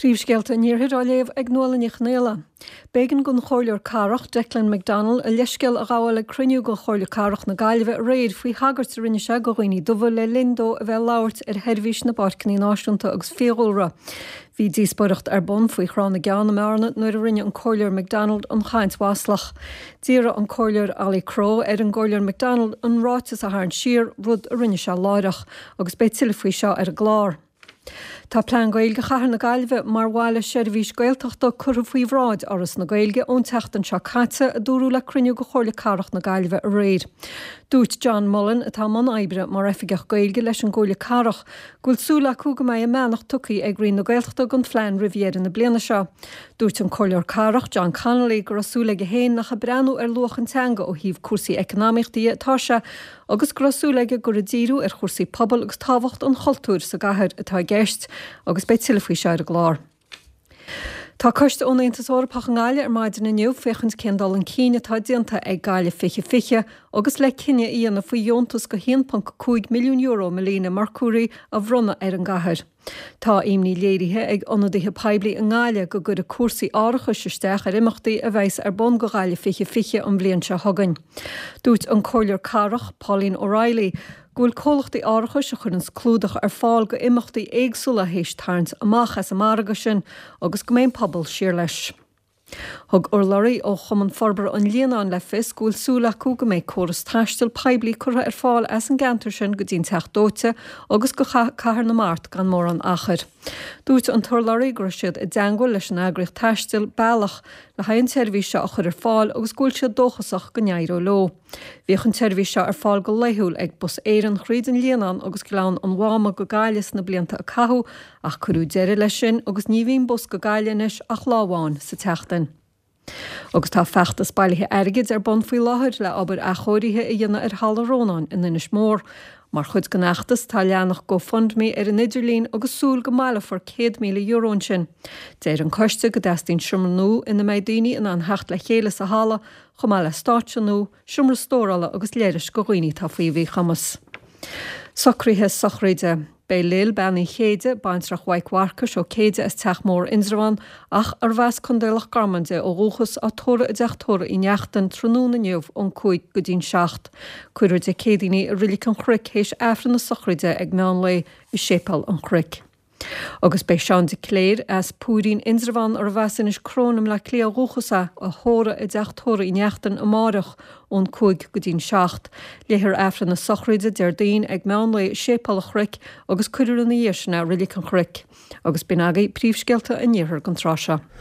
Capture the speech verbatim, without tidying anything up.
Príomhscéalta an Iarthair á léamh ag Nuala Ní Chonghaile. B'éigean don Chomhairleoir Cathrach Declan McDonald a leithscéal a ghabháil ag cruinniú de Chomhairle Cathrach na Gaillimhe aréir faoi thagairt a rinne sé do dhaoine dubha le linn dó a bheith ag labhairt ar sheirbhís na bPáirceanna Náisiúnta agus Fiadhúlra. Bhí díospóireacht ar bun faoi Thrá na gCeann i mBearna nuair a rinne an Comhairleoir McDonald an chaint mhaslach. D'iarr an Comhairleoir Ollie Crowe ar an gComhairleoir McDonald an ráiteas a tharraingt siar, rud a rinne sé láithreach, agus beidh tuilleadh faoi seo ar an gclár. Tá plean Gaeilge Chathair na Gaillimhe mar bhaile seirbhís Gaeltachta curtha faoi bhráid Fhoras na Gaeilge ón tseachtain seo caite, a dúradh le cruinniú de Chomhairle Cathrach na Gaillimhe aréir. Dúirt John Mullen, atá i mbun oibre mar Oifigeach Gaeilge leis an gComhairle Cathrach, go bhfuil súil acu go mbeidh a mbeannacht tugtha ag Roinn na Gaeltachta don phlean roimh dheireadh na bliana seo. Dúirt an Comhairleoir Cathrach John Connolly go raibh súil aige féin nach ag breathnú ar luach an teanga ó thaobh cúrsaí eacnamaíochta de atá sé agus go raibh súil aige gur ag díriú ar chúrsaí pobail agus tábhacht an chultúir sa gcathair atá i gceist, agus beidh tuilleadh faoi seo ar an gclár. Tá coiste ón Aontas Eorpach i nGaillimh ar maidin inniu féachaint cén dul chun cinn atá déanta ag Gaillimh fiche fiche agus le cinneadh a dhéanamh faoi dheontas de haon ponc cúig milliún euro Melina Mercouri a bhronnadh ar an gcathair. Tá imní léirithe ag ionadaithe poiblí i nGaillimh go gcuirfidh cúrsaí árachais isteach ar imeachtaí a bheas ar bun do Ghaillimh fiche fiche an bhliain seo chugainn. Dúirt an Comhairleoir Cathrach Pauline O'Reilly go bhfuil comhlachtaí árachais a chuireann clúdach ar fáil go imeachtaí éagsúla théis tarraingt amach as an margadh sin agus go mbeidh an pobal siar leis. Thug urlabhraí ó Chumann Forbartha an Líonáin le fios go bhfuil súil acu go mbeidh córas taistil poiblí curtha ar fáil as an gceantar sin go dtí an Teach Dóite agus go Cathair na Mart gan mórán achair. Dúirt an t-urlabhraí go raibh siad i dteagmháil leis an eagraíocht taistil Bealach le haghaidh an tseirbhís seo a chur ar fáil agus go bhfuil siad dóchasach go n-éireoidh leo. Bhíodh an tseirbhís seo ar fáil go laethúil ag Bus Éireann thríd an Líonán agus Gleann an Mháma go Gaillimh sna blianta a caitheadh ach cuireadh deireadh leis sin agus ní bhíonn bus go Gaillimh anois ach lá amháin sa tseachtain. Agus tá feachtas bailithe airgid ar bun faoi láthair le obair athchóirithe a dhéanamh ar Halla Rónáin in Inis Mór. Mar chuid den fheachtas tá leathanach GoFundMe ar an idirlíon agus súil go mbaileofar céad míle euro ansin. Deir an coiste go dteastaíonn seomra nua ina mbeidh daoine in ann theacht le chéile sa halla, chomh maith le stáitse nua, seomra stórála agus leithris do dhaoine atá faoi mhíchumas. Socruithe sochraide. Beidh Lil Bean Uí Chéide, baintreach Mhaidhc Mharcais ó Céide as Teach Mór Indreabhán, ach arbh as Contae Loch Garman di ó dhúchas, á tórramh i dTeach Tórraimh Uí Neachtain tráthnóna inniu ón cúig go dtí'n seacht. Cuirfear Dé Céadaoin í i Reilig an Chnoic théis Aifreann na sochraide ag meán lae i Séipéal an Chnoic. Agus beidh Seán de Cléir as Púirín Indreabhán arbh as Inis Crón i mBleá Cliath ó dhúchas é, á thórramh i dTeach Tórraimh Uí Neachtain amárach ón cúig go dtí'n seacht. Léifear Aifreann na sochraide Déardaoin ag meán lae i Séipéal an Chnoic agus cuirfear ina dhiaidh sin é i Reilig an Chnoic. Agus b'in agaibh príomhscéalta an Iarthair don tráth seo.